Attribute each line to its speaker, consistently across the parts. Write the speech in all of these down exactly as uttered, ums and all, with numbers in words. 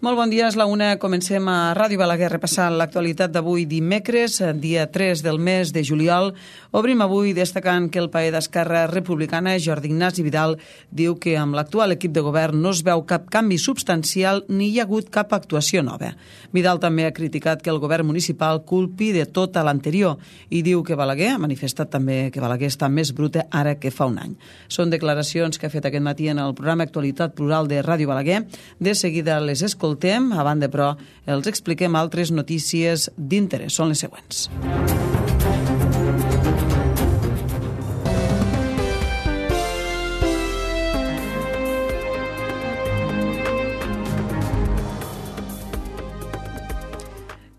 Speaker 1: Molt bon dia, és la una. Comencem a Ràdio Balaguer repassant l'actualitat d'avui dimecres, dia tres del mes de juliol. Obrim avui destacant que el paer d'Esquerra Republicana, Jordi Ignasi Vidal, diu que amb l'actual equip de govern no es veu cap canvi substancial ni hi ha hagut cap actuació nova. Vidal també ha criticat que el govern municipal culpi de tot a l'anterior i diu que Balaguer, ha manifestat també que Balaguer està més bruta ara que fa un any. Són declaracions que ha fet aquest matí en el programa Actualitat Plural de Ràdio Balaguer. De seguida les escoltem, a banda però els expliquem altres notícies d'interès. Són les següents.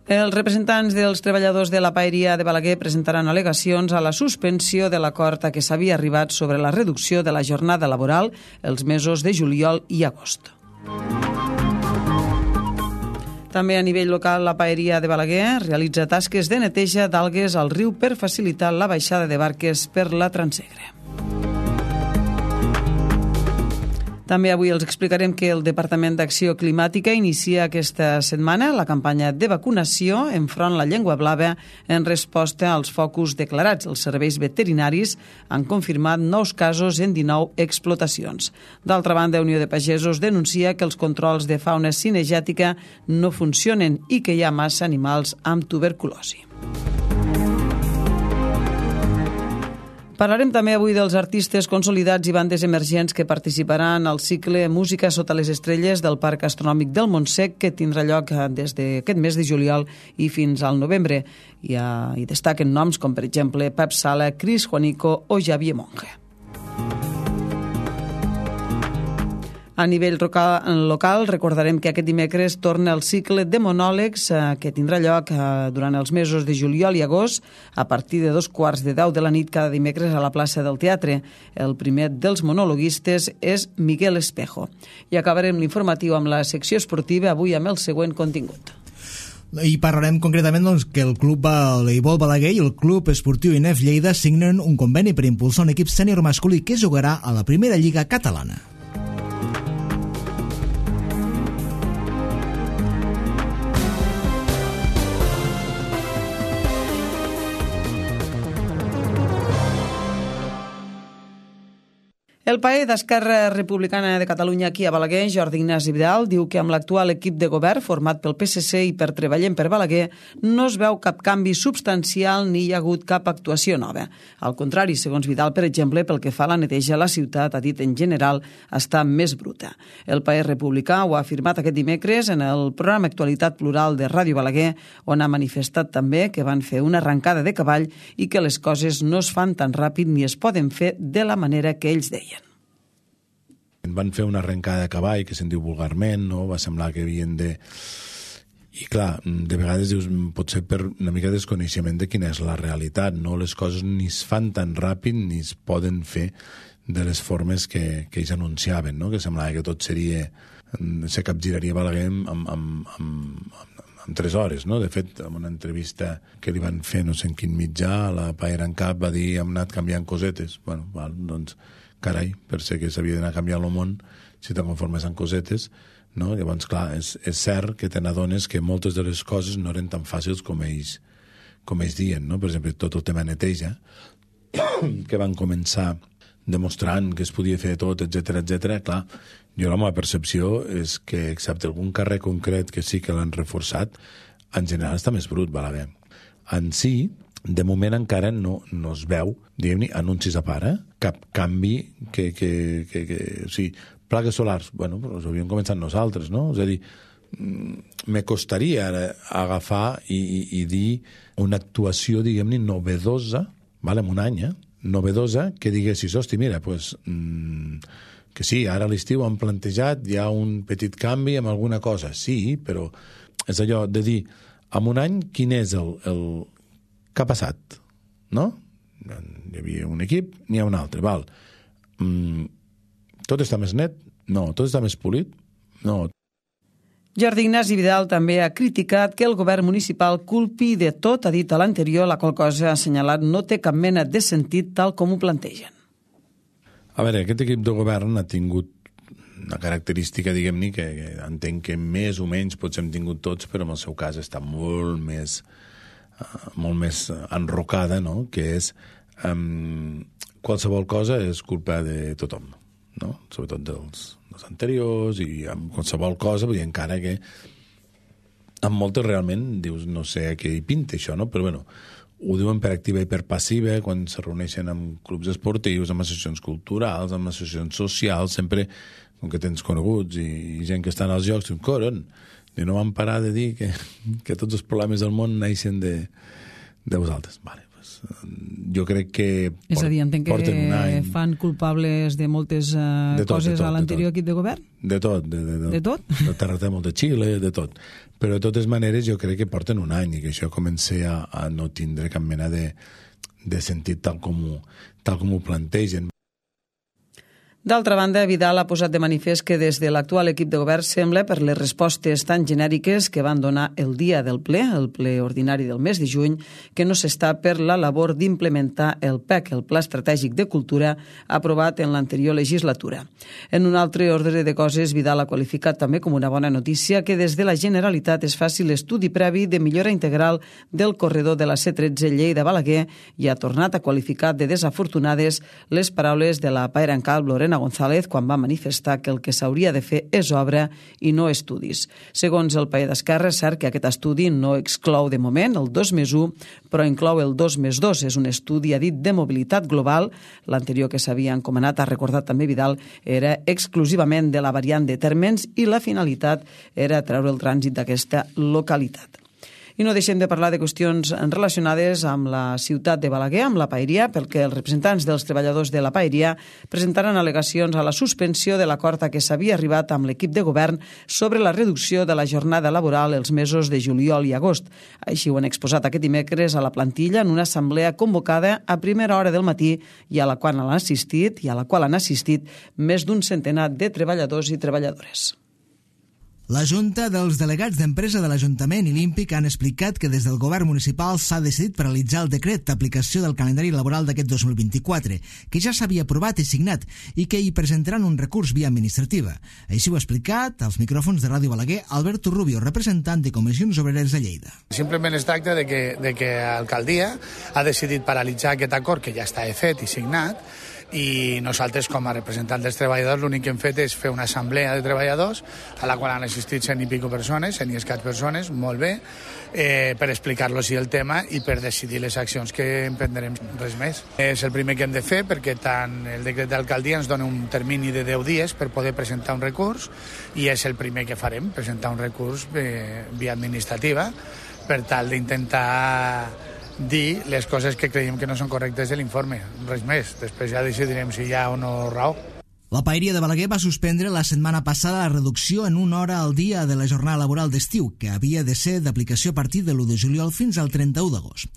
Speaker 1: Els representants dels treballadors de la paeria de Balaguer presentaran al·legacions a la suspensió de l'acord a què s'havia arribat sobre la reducció de la jornada laboral els mesos de juliol i agost. També a nivell local, la paeria de Balaguer realitza tasques de neteja d'algues al riu per facilitar la baixada de barques per la Transegre. També avui els explicarem que el Departament d'Acció Climàtica inicia aquesta setmana la campanya de vacunació enfront la llengua blava en resposta als focus declarats. Els serveis veterinaris han confirmat nous casos en dinou explotacions. D'altra banda, Unió de Pagesos denuncia que els controls de fauna cinegètica no funcionen i que hi ha massa animals amb tuberculosi. Parlarem també avui dels artistes consolidats i bandes emergents que participaran al cicle Música sota les estrelles del Parc Astronòmic del Montsec, que tindrà lloc des d'aquest mes de juliol i fins al novembre. Hi, ha, hi destaquen noms com, per exemple, Pep Sala, Cris Juanico o Javier Monge. A nivell local, recordarem que aquest dimecres torna el cicle de monòlegs que tindrà lloc durant els mesos de juliol i agost a partir de dos quarts de deu de la nit cada dimecres a la plaça del Teatre. El primer dels monologuistes és Miguel Espejo. I acabarem l'informatiu amb la secció esportiva, avui amb el següent contingut.
Speaker 2: I parlarem concretament doncs, que el Club Voleibol Balaguer i el Club Esportiu I N E F Lleida signen un conveni per impulsar un equip sènior masculí que jugarà a la primera lliga catalana.
Speaker 1: El paer d'Esquerra Republicana de Catalunya aquí a Balaguer, Jordi Ignasi Vidal, diu que amb l'actual equip de govern format pel P S C i per Treballem per Balaguer no es veu cap canvi substancial ni hi ha hagut cap actuació nova. Al contrari, segons Vidal, per exemple, pel que fa a la neteja, la ciutat, ha dit en general, està més bruta. El paer republicà ho ha afirmat aquest dimecres en el programa Actualitat Plural de Ràdio Balaguer, on ha manifestat també que van fer una arrencada de cavall i que les coses no es fan tan ràpid ni es poden fer de la manera que ells deien.
Speaker 3: Van fer una arrencada de cavall, que se'n diu vulgarment, no? Va semblar que havien de... I clar, de vegades dius, pot ser per una mica desconeixement de quina és la realitat, no? Les coses ni es fan tan ràpid ni es poden fer de les formes que, que ells anunciaven, no? Que semblava que tot seria... se capgiraria Balaguer amb, amb, amb, amb, amb tres hores, no? De fet, en una entrevista que li van fer no sé en quin mitjà, la Paera en Cap va dir hem anat canviant cosetes. Bueno, val, doncs... carai, per ser que s'havia d'anar a canviar el món si te conformes amb cosetes, no? Llavors, clar, és, és cert que te n'adones que moltes de les coses no eren tan fàcils com ells, com ells diuen, no? Per exemple, tot el tema neteja, que van començar demostrant que es podia fer tot, etcètera, etcètera. Clar, jo la meva percepció és que, excepte algun carrer concret que sí que l'han reforçat, en general està més brut, Balaguer. En si, de moment encara no, no es veu, diguem-ne, anuncis a part, eh? Cap canvi que, que, que, que... O sigui, plaques solars, bueno, però els havíem començat nosaltres, no? És a dir, me costaria ara agafar i, i, i dir una actuació, diguem-ne, novedosa, vale, en un any, eh? Novedosa, que diguessis, hosti, mira, pues, mmm, que sí, ara a l'estiu han plantejat, hi ha un petit canvi amb alguna cosa, sí, però és allò de dir, en un any, quin és el... el què ha passat? No? Hi havia un equip, n'hi ha un altre, val. Mm, tot està més net? No. Tot està més polit? No.
Speaker 1: Jordi Ignasi Vidal també ha criticat que el govern municipal culpi de tot, ha dit a l'anterior, la qual cosa ha assenyalat no té cap mena de sentit tal com ho plantegen.
Speaker 3: A veure, aquest equip de govern ha tingut una característica, diguem-ne, que, que entenc que més o menys potser hem tingut tots, però en el seu cas està molt més, uh, molt més enrocada, no?, que és um, qualsevol cosa és culpa de tothom, no?, sobretot dels, dels anteriors, i amb qualsevol cosa, vull dir, encara que amb moltes realment dius, no sé a què hi pinta això, no?, però bueno, ho diuen per activa i per passiva, quan se reuneixen amb clubs esportius, amb associacions culturals, amb associacions socials, sempre, com que tens coneguts i, i gent que estan als jocs, diuen, coron, i no van parar de dir que, que tots els problemes del món naixen de, de vosaltres. Vale, pues, jo crec que port,
Speaker 1: és a dir, entenc que any... fan culpables de moltes uh, de tot, coses de tot, a l'anterior equip de govern?
Speaker 3: De tot. De, de, de,
Speaker 1: de tot?
Speaker 3: De terratrèmol de Xile, de tot. Però de totes maneres jo crec que porten un any i que això comença a, a no tindre cap mena de, de sentit tal com, ho, tal com ho plantegen.
Speaker 1: D'altra banda, Vidal ha posat de manifest que des de l'actual equip de govern sembla, per les respostes tan genèriques que van donar el dia del ple, el ple ordinari del mes de juny, que no s'està per la labor d'implementar el P E C, el Pla Estratègic de Cultura, aprovat en l'anterior legislatura. En un altre ordre de coses, Vidal ha qualificat també com una bona notícia que des de la Generalitat es faci l'estudi previ de millora integral del corredor de la C tretze Lleida-Balaguer i ha tornat a qualificar de desafortunades les paraules de la paera en calp Lorena González quan va manifestar que el que s'hauria de fer és obra i no estudis. Segons el Paller d'Esquerra, és cert que aquest estudi no exclou de moment el dos més u, però inclou el dos més dos. És un estudi, ha dit, de mobilitat global. L'anterior que s'havia encomanat, ha recordat també Vidal, era exclusivament de la variant de Térmens i la finalitat era treure el trànsit d'aquesta localitat. I no deixem de parlar de qüestions relacionades amb la ciutat de Balaguer, amb la paeria, perquè els representants dels treballadors de la paeria presentaran al·legacions a la suspensió de l'acord a què s'havia arribat amb l'equip de govern sobre la reducció de la jornada laboral els mesos de juliol i agost. Així ho han exposat aquest dimecres a la plantilla en una assemblea convocada a primera hora del matí i a la qual han assistit, i a la qual han assistit més d'un centenar de treballadors i treballadores.
Speaker 2: La Junta dels delegats d'empresa de l'Ajuntament i l'Ímpic han explicat que des del govern municipal s'ha decidit paralitzar el decret d'aplicació del calendari laboral d'aquest dos mil vint-i-quatre, que ja s'havia aprovat i signat i que hi presentaran un recurs via administrativa. Així ho ha explicat als micròfons de Ràdio Balaguer Alberto Rubio, representant de Comissions Obreres de Lleida.
Speaker 4: Simplement es tracta de que, de que l'alcaldia ha decidit paralitzar aquest acord que ja està fet i signat, i nosaltres com a representants dels treballadors l'únic que hem fet és fer una assemblea de treballadors a la qual han assistit cent i pico persones, cent i escaig persones, molt bé, eh, per explicar-los el tema i per decidir les accions que emprendrem, res més. És el primer que hem de fer perquè tant el decret d'alcaldia ens dona un termini de deu dies per poder presentar un recurs i és el primer que farem, presentar un recurs eh, via administrativa per tal d'intentar dir les coses que creiem que no són correctes de l'informe, res més. Després ja decidirem si hi ha o no raó.
Speaker 2: La paeria de Balaguer va suspendre la setmana passada la reducció en una hora al dia de la jornada laboral d'estiu, que havia de ser d'aplicació a partir de l'u de juliol fins al trenta-u d'agost.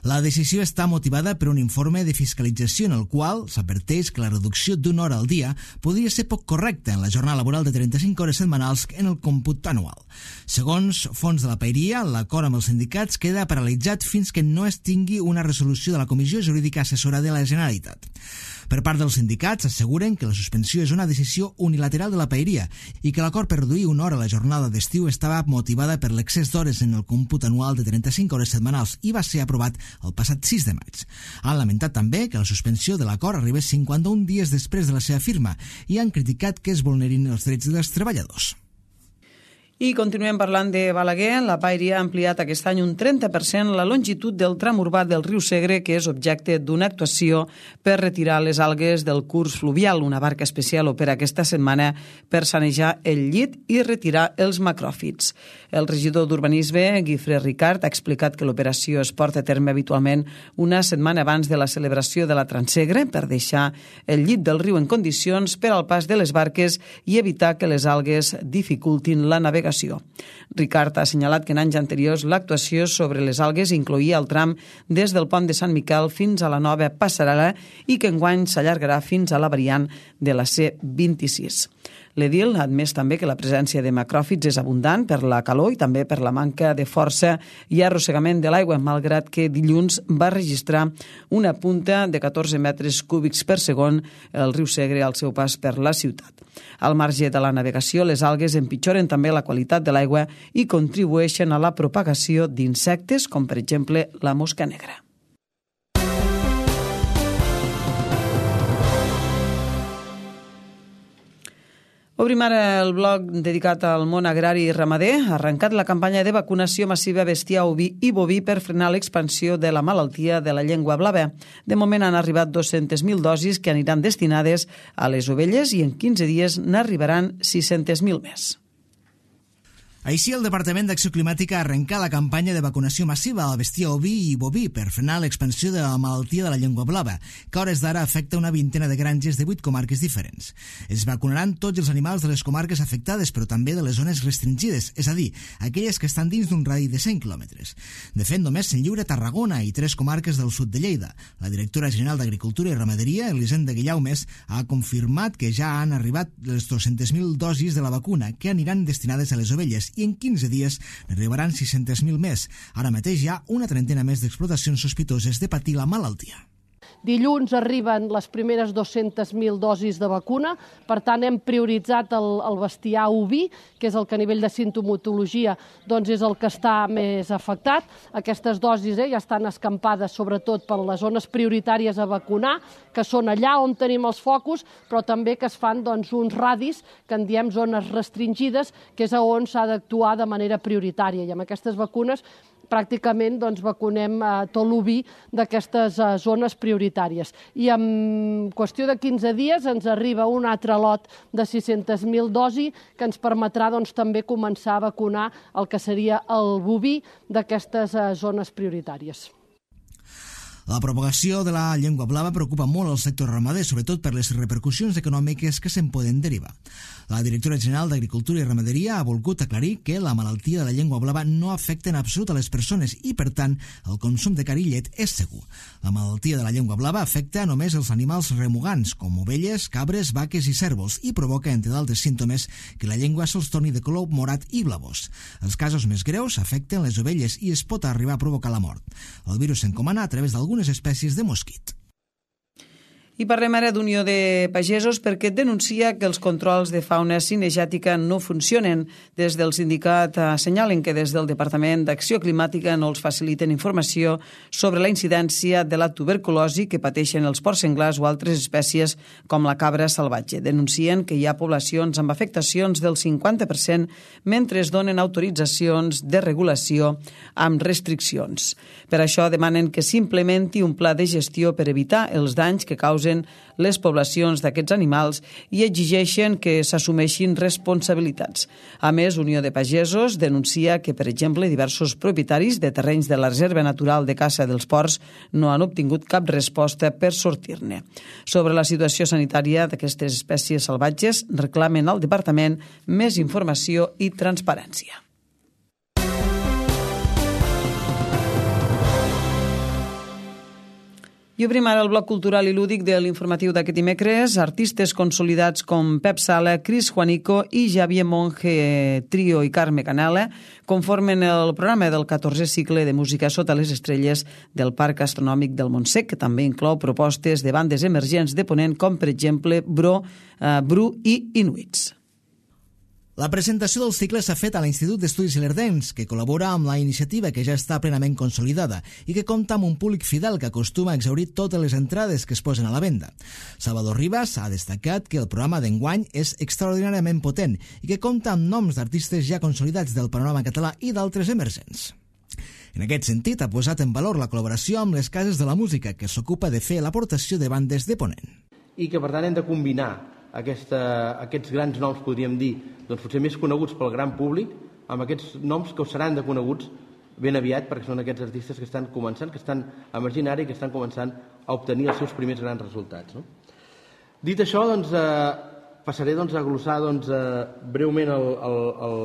Speaker 2: La decisió està motivada per un informe de fiscalització en el qual s'adverteix que la reducció d'una hora al dia podria ser poc correcta en la jornada laboral de trenta-cinc hores setmanals en el còmput anual. Segons fons de la paeria, l'acord amb els sindicats queda paralitzat fins que no es tingui una resolució de la Comissió Jurídica Assessora de la Generalitat. Per part dels sindicats asseguren que la suspensió és una decisió unilateral de la paeria i que l'acord per reduir una hora la jornada d'estiu estava motivada per l'excés d'hores en el còmput anual de trenta-cinc hores setmanals i va ser aprovat el passat sis de maig. Han lamentat també que la suspensió de l'acord arribés cinquanta-un dies després de la seva firma i han criticat que es vulnerin els drets dels treballadors.
Speaker 1: I continuem parlant de Balaguer. La paeria ha ampliat aquest any un trenta per cent la longitud del tram urbà del riu Segre, que és objecte d'una actuació per retirar les algues del curs fluvial. Una barca especial opera aquesta setmana per sanejar el llit i retirar els macròfits. El regidor d'Urbanisme, Guifré Ricard, ha explicat que l'operació es porta a terme habitualment una setmana abans de la celebració de la Transsegre per deixar el llit del riu en condicions per al pas de les barques i evitar que les algues dificultin la navegació. Ricard ha assenyalat que en anys anteriors l'actuació sobre les algues incloïa el tram des del pont de Sant Miquel fins a la nova passarel·la i que enguany s'allargarà fins a la variant de la C vint-i-sis. L'edil ha admès també que la presència de macròfits és abundant per la calor i també per la manca de força i arrossegament de l'aigua, malgrat que dilluns va registrar una punta de catorze metres cúbics per segon el riu Segre al seu pas per la ciutat. Al marge de la navegació, les algues empitjoren també la qualitat de l'aigua i contribueixen a la propagació d'insectes, com per exemple la mosca negra. Obrim ara el bloc dedicat al món agrari i ramader. Ha arrencat la campanya de vacunació massiva bestiar, oví i boví per frenar l'expansió de la malaltia de la llengua blava. De moment han arribat dues-centes mil dosis que aniran destinades a les ovelles i en quinze dies n'arribaran sis-centes mil més.
Speaker 2: Així, el Departament d'Acció Climàtica ha arrencat la campanya de vacunació massiva al bestiar oví i boví per frenar l'expansió de la malaltia de la llengua blava, que a hores d'ara afecta una vintena de granges de vuit comarques diferents. Es vacunaran tots els animals de les comarques afectades, però també de les zones restringides, és a dir, aquelles que estan dins d'un radi de cent quilòmetres. De fet, només se'n lliura Tarragona i tres comarques del sud de Lleida. La directora general d'Agricultura i Ramaderia, Elisenda Guillaumes, ha confirmat que ja han arribat les dues-centes mil dosis de la vacuna que aniran destinades a les ovelles i en quinze dies n'arribaran sis-centes mil més. Ara mateix hi ha una trentena més d'explotacions sospitoses de patir la malaltia.
Speaker 5: Dilluns arriben les primeres dues-centes mil dosis de vacuna, per tant hem prioritzat el, el bestiar oví, que és el que a nivell de sintomatologia doncs és el que està més afectat. Aquestes dosis eh, ja estan escampades sobretot per les zones prioritàries a vacunar, que són allà on tenim els focus, però també que es fan doncs, uns radis que en diem zones restringides, que és on s'ha d'actuar de manera prioritària. I amb aquestes vacunes pràcticament doncs, vacunem eh, tot l'oví d'aquestes eh, zones prioritàries. I en qüestió de quinze dies ens arriba un altre lot de sis-centes mil dosis que ens permetrà doncs, també començar a vacunar el que seria el boví d'aquestes eh, zones prioritàries.
Speaker 2: La propagació de la llengua blava preocupa molt el sector ramader, sobretot per les repercussions econòmiques que se'n poden derivar. La directora general d'Agricultura i Ramaderia ha volgut aclarir que la malaltia de la llengua blava no afecta en absolut a les persones i, per tant, el consum de carn i llet és segur. La malaltia de la llengua blava afecta només els animals remugants, com ovelles, cabres, vaques i cérvols, i provoca, entre d'altres símptomes, que la llengua se'ls torni de color morat i blavós. Els casos més greus afecten les ovelles i es pot arribar a provocar la mort. El virus s'encomana a través d'algunes espècies de mosquit.
Speaker 1: I parlem ara d'Unió de Pagesos perquè denuncia que els controls de fauna cinegètica no funcionen. Des del sindicat assenyalen que des del Departament d'Acció Climàtica no els faciliten informació sobre la incidència de la tuberculosi que pateixen els porcs senglars o altres espècies com la cabra salvatge. Denuncien que hi ha poblacions amb afectacions del cinquanta per cent mentre es donen autoritzacions de regulació amb restriccions. Per això demanen que s'implementi un pla de gestió per evitar els danys que causen les poblacions d'aquests animals i exigeixen que s'assumeixin responsabilitats. A més, Unió de Pagesos denuncia que, per exemple, diversos propietaris de terrenys de la Reserva Natural de Caça dels Porcs no han obtingut cap resposta per sortir-ne. Sobre la situació sanitària d'aquestes espècies salvatges, reclamen al Departament més informació i transparència. I obrim ara el bloc cultural i lúdic de l'informatiu d'aquest dimecres. Artistes consolidats com Pep Sala, Cris Juanico i Javier Monge Trio i Carme Canela conformen el programa del catorzè cicle de música sota les estrelles del Parc Astronòmic del Montsec, que també inclou propostes de bandes emergents de Ponent com, per exemple, Bro, uh, Bru i Inuits.
Speaker 2: La presentació del cicle s'ha fet a l'Institut d'Estudis Ilerdencs, que col·labora amb la iniciativa que ja està plenament consolidada i que compta amb un públic fidel que acostuma a exhaurir totes les entrades que es posen a la venda. Salvador Ribas ha destacat que el programa d'enguany és extraordinàriament potent i que compta amb noms d'artistes ja consolidats del panorama català i d'altres emergents. En aquest sentit, ha posat en valor la col·laboració amb les cases de la música, que s'ocupa de fer l'aportació de bandes de Ponent.
Speaker 6: I que, per tant, hem de combinar Aquesta, aquests grans noms, podríem dir, doncs potser més coneguts pel gran públic, amb aquests noms que seran de coneguts ben aviat, perquè són aquests artistes que estan començant, que estan emergint ara i que estan començant a obtenir els seus primers grans resultats. No? Dit això, doncs, eh, passaré doncs, a glossar doncs, eh, breument el, el, el,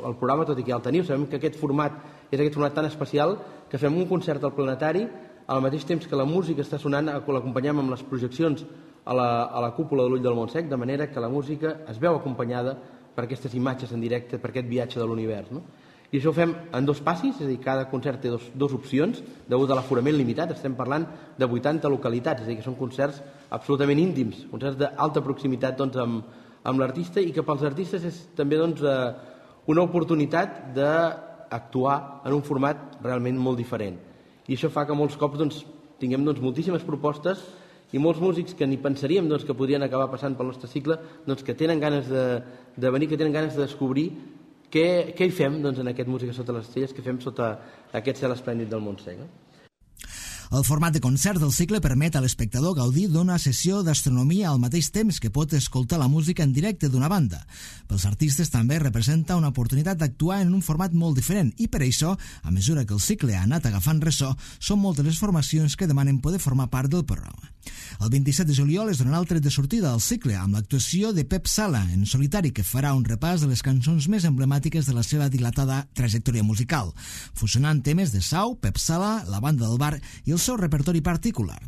Speaker 6: el programa, tot i que ja el teniu. Sabem que aquest format és aquest format tan especial que fem un concert al Planetari al mateix temps que la música està sonant, l'acompanyem amb les projeccions a la, a la cúpula de l'Ull del Montsec, de manera que la música es veu acompanyada per aquestes imatges en directe, per aquest viatge de l'univers, no? I això ho fem en dos passis, és a dir, cada concert té dos, dos opcions, degut a l'aforament limitat, estem parlant de vuitanta localitats, és a dir, que són concerts absolutament íntims, concerts d'alta proximitat doncs, amb, amb l'artista, i que pels artistes és també doncs, eh, una oportunitat d'actuar en un format realment molt diferent. I això fa que molts cops doncs, tinguem doncs, moltíssimes propostes i molts músics que ni pensaríem doncs, que podrien acabar passant pel nostre cicle, doncs, que tenen ganes de, de venir, que tenen ganes de descobrir Què, què hi fem doncs, en aquest Música sota les estrelles, què fem sota aquest cel esplèndid del Montsec? No?
Speaker 2: El format de concert del cicle permet a l'espectador gaudir d'una sessió d'astronomia al mateix temps que pot escoltar la música en directe d'una banda. Pels artistes també representa una oportunitat d'actuar en un format molt diferent i per això, a mesura que el cicle ha anat agafant ressò, són moltes les formacions que demanen poder formar part del programa. El vint-i-set de juliol es donarà el tret de sortida al cicle amb l'actuació de Pep Sala en solitari, que farà un repàs de les cançons més emblemàtiques de la seva dilatada trajectòria musical, fusionant temes de Sau, Pep Sala, la banda del bar i el seu repertori particular.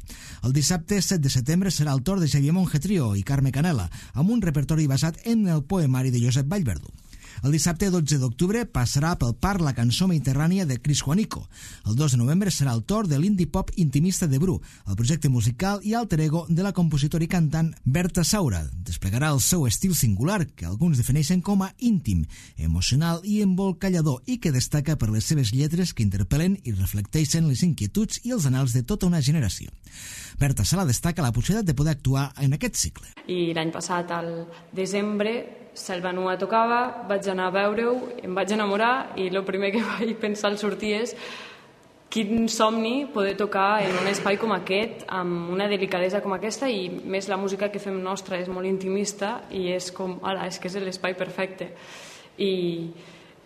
Speaker 2: El dissabte set de setembre serà el torn de Xavier Monge Trio i Carme Canela, amb un repertori basat en el poemari de Josep Vallverdú. El dissabte dotze d'octubre passarà pel parc la cançó mediterrània de Cris Juanico. El dos de novembre serà el torn de l'indie pop intimista de Bru, el projecte musical i alter ego de la compositora i cantant Berta Saura. Desplegarà el seu estil singular, que alguns defineixen com a íntim, emocional i embolcallador, i que destaca per les seves lletres que interpel·len i reflecteixen les inquietuds i els anhels de tota una generació. Berta Sala destaca la possibilitat de poder actuar en aquest cicle.
Speaker 7: I l'any passat, al desembre, Selvanua tocava, vaig anar a veure-ho, em vaig enamorar i el primer que vaig pensar al sortir és quin somni poder tocar en un espai com aquest, amb una delicadesa com aquesta, i més la música que fem nostra és molt intimista i és com, ala, és que és l'espai perfecte. I,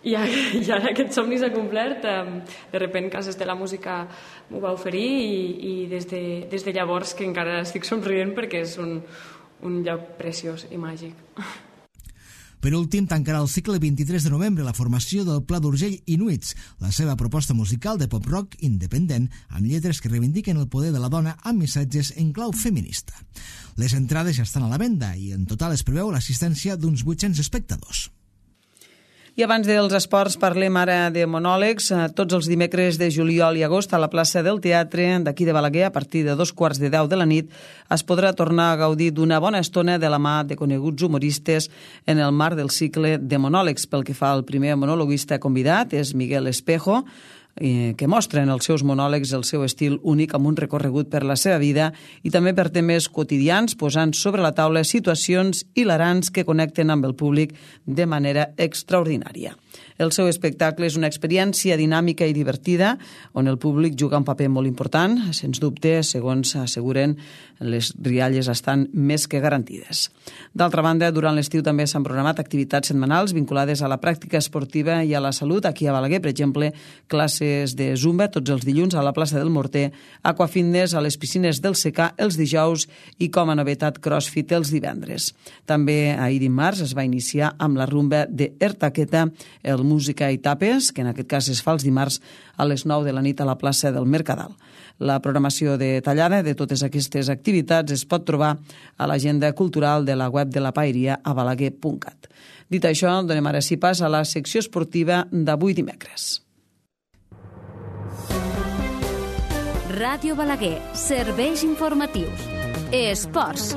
Speaker 7: i, i ara aquest somni s'ha complert, de repent Cases de la Música m'ho va oferir i, i des, de, des de llavors que encara estic somrient perquè és un, un lloc preciós i màgic.
Speaker 2: Per últim, tancarà el cicle el vint-i-tres de novembre la formació del Pla d'Urgell Inuits, la seva proposta musical de pop-rock independent amb lletres que reivindiquen el poder de la dona amb missatges en clau feminista. Les entrades ja estan a la venda i en total es preveu l'assistència d'uns vuit-cents espectadors.
Speaker 1: I abans dels esports parlem ara de monòlegs. Tots els dimecres de juliol i agost a la plaça del Teatre d'aquí de Balaguer, a partir de dos quarts de deu de la nit, es podrà tornar a gaudir d'una bona estona de la mà de coneguts humoristes en el marc del cicle de monòlegs. Pel que fa al primer monologuista convidat, és Miguel Espejo, que mostra en els seus monòlegs el seu estil únic amb un recorregut per la seva vida i també per temes quotidians, posant sobre la taula situacions hilarants que connecten amb el públic de manera extraordinària. El seu espectacle és una experiència dinàmica i divertida, on el públic juga un paper molt important. Sens dubte, segons asseguren, les rialles estan més que garantides. D'altra banda, durant l'estiu també s'han programat activitats setmanals vinculades a la pràctica esportiva i a la salut. Aquí a Balaguer, per exemple, classes de Zumba tots els dilluns a la plaça del Morter, Aquafitness a les piscines del Secà els dijous i, com a novetat, CrossFit els divendres. També ahir dimarts es va iniciar amb la rumba de Ertaqueta, el Música i Tapes, que en aquest cas es fa els dimarts a les nou de la nit a la plaça del Mercadal. La programació detallada de totes aquestes activitats es pot trobar a l'agenda cultural de la web de la Paeria a balaguer punt cat. Dit això, donem ara sí pas a la secció esportiva d'avui dimecres.
Speaker 8: Ràdio Balaguer, serveis informatius. Esports.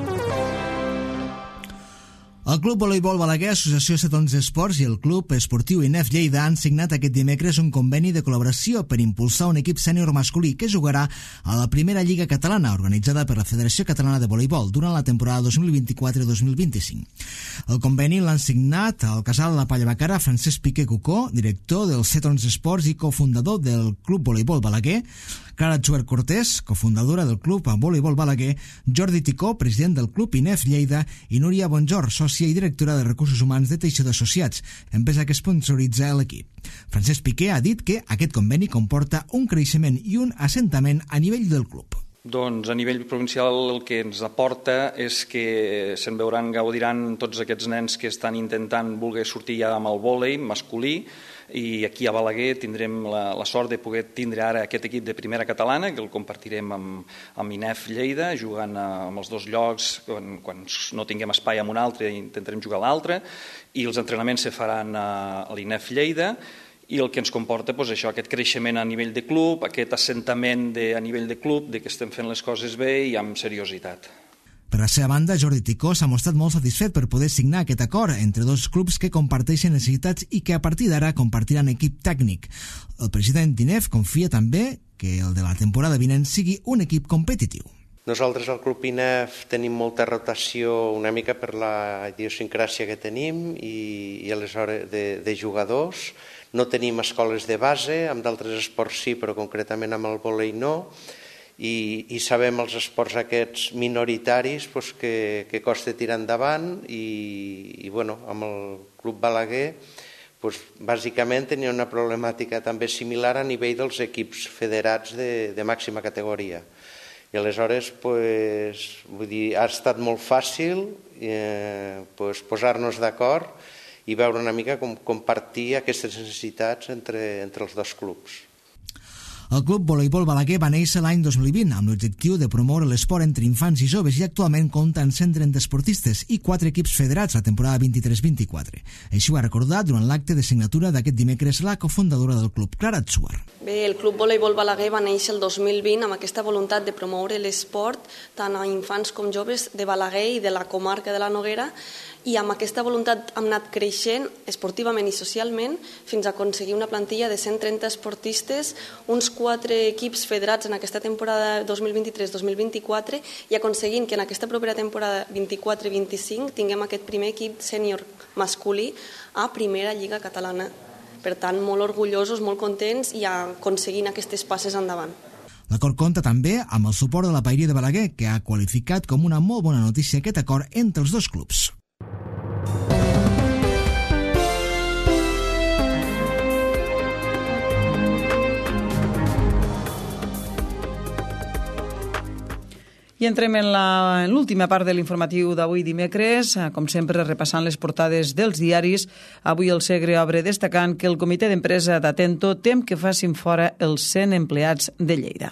Speaker 2: El Club Voleibol Balaguer, Associació set onze Esports i el Club Esportiu I N E F Lleida han signat aquest dimecres un conveni de col·laboració per impulsar un equip sènior masculí que jugarà a la primera Lliga Catalana, organitzada per la Federació Catalana de Voleibol durant la temporada dos mil vint-i-quatre dos mil vint-i-cinc. El conveni l'han signat al casal La Palla Bacara Francesc Piqué Cucó, director del set onze Esports i cofundador del Club Voleibol Balaguer, Clara Chuer Cortés, cofundadora del Club Voleibol Balaguer, Jordi Ticó, president del Club I N E F Lleida, i Núria Bonjor, sòcia i directora de Recursos Humans de Teixidor Associats, empresa que sponsoritza l'equip. Francesc Piqué ha dit que aquest conveni comporta un creixement i un assentament a nivell del club.
Speaker 9: Doncs a nivell provincial el que ens aporta és que se'n veuran, gaudiran tots aquests nens que estan intentant voler sortir ja amb el vòlei masculí, i aquí a Balaguer tindrem la, la sort de poder tindre ara aquest equip de primera catalana, que el compartirem amb, amb I N E F Lleida, jugant amb els dos llocs, quan, quan no tinguem espai amb un altre intentarem jugar a l'altre, i els entrenaments se faran a, a l'I N E F Lleida, i el que ens comporta doncs, això, aquest creixement a nivell de club, aquest assentament de, a nivell de club, de que estem fent les coses bé i amb seriositat.
Speaker 2: Per la seva banda, Jordi Ticó s'ha mostrat molt satisfet per poder signar aquest acord entre dos clubs que comparteixen necessitats i que a partir d'ara compartiran equip tècnic. El president d'I N E F confia també que el de la temporada vinent sigui un equip competitiu.
Speaker 10: Nosaltres al Club I N E F tenim molta rotació una mica per la idiosincràsia que tenim i, i aleshores de, de jugadors. No tenim escoles de base, amb d'altres esports sí, però concretament amb el vòlei no, i, i sabem els esports aquests minoritaris pues, que, que costa tirar endavant i, i bueno, amb el Club Balaguer pues, bàsicament tenia una problemàtica també similar a nivell dels equips federats de, de màxima categoria. I aleshores pues, vull dir, ha estat molt fàcil eh, pues, posar-nos d'acord i veure una mica com compartir aquestes necessitats entre, entre els dos clubs.
Speaker 2: El Club Voleibol Balaguer va néixer l'any dos mil vint amb l'objectiu de promoure l'esport entre infants i joves i actualment compta amb cent trenta esportistes i quatre equips federats la temporada vint-i-tres vint-i-quatre. Així ho ha recordat durant l'acte de signatura d'aquest dimecres la cofundadora del club, Clara Atsuar.
Speaker 11: Bé, el Club Voleibol Balaguer va néixer el dos mil vint amb aquesta voluntat de promoure l'esport tant a infants com joves de Balaguer i de la comarca de la Noguera, i amb aquesta voluntat hem anat creixent esportivament i socialment fins a aconseguir una plantilla de cent trenta esportistes, uns quatre equips federats en aquesta temporada dos mil vint-i-tres dos mil vint-i-quatre i aconseguint que en aquesta propera temporada vint-i-quatre vint-i-cinc tinguem aquest primer equip sènior masculí a primera lliga catalana. Per tant, molt orgullosos, molt contents i aconseguint aquestes passes endavant.
Speaker 2: L'acord compta també amb el suport de la Paeria de Balaguer, que ha qualificat com una molt bona notícia aquest acord entre els dos clubs.
Speaker 1: I entrem en l'última part de l'informatiu d'avui dimecres, com sempre repassant les portades dels diaris. Avui el Segre obre destacant que el comitè d'empresa d'Atento tem que facin fora els cent empleats de Lleida.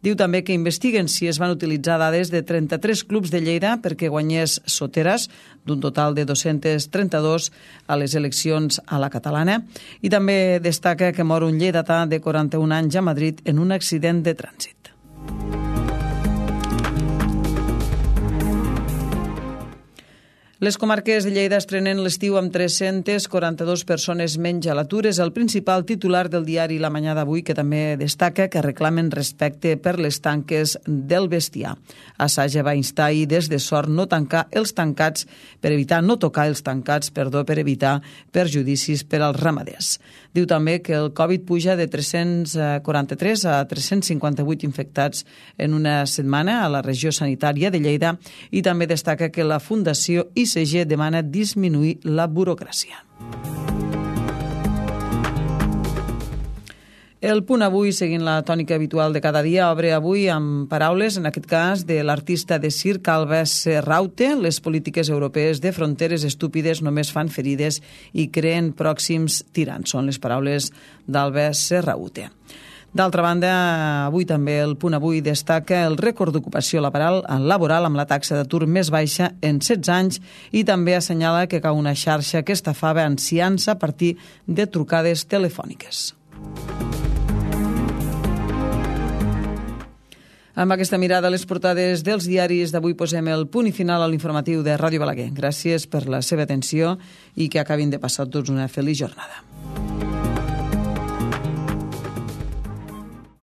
Speaker 1: Diu també que investiguen si es van utilitzar dades de trenta-tres clubs de Lleida perquè guanyés Soteras, d'un total de dos-cents trenta-dos a les eleccions a la catalana. I també destaca que mor un lleidatà de quaranta-un anys a Madrid en un accident de trànsit. Les comarques de Lleida estrenen l'estiu amb tres-centes quaranta-dues persones menys a l'atur. És el principal titular del diari La Mañá d'avui, que també destaca que reclamen respecte per les tanques del bestiar. Assaja va instar ahir des de Sort no tancar els tancats per evitar, no tocar els tancats, perdó, per evitar perjudicis per als ramaders. Diu també que el Covid puja de tres-cents quaranta-tres a tres-cents cinquanta-vuit infectats en una setmana a la regió sanitària de Lleida i també destaca que la Fundació I C G demana disminuir la burocràcia. El Punt Avui, seguint la tònica habitual de cada dia, obre avui amb paraules, en aquest cas, de l'artista de circ Alba Serraute. Les polítiques europees de fronteres estúpides només fan ferides i creen pròxims tirans. Són les paraules d'Alba Serraute. D'altra banda, avui també el Punt Avui destaca el rècord d'ocupació laboral, laboral amb la taxa d'atur més baixa en setze anys i també assenyala que cau una xarxa que estafava ancians a partir de trucades telefòniques. Amb aquesta mirada a les portades dels diaris d'avui posem el punt i final a l'informatiu de Ràdio Balaguer. Gràcies per la seva atenció i que acabin de passar tots una feliç jornada.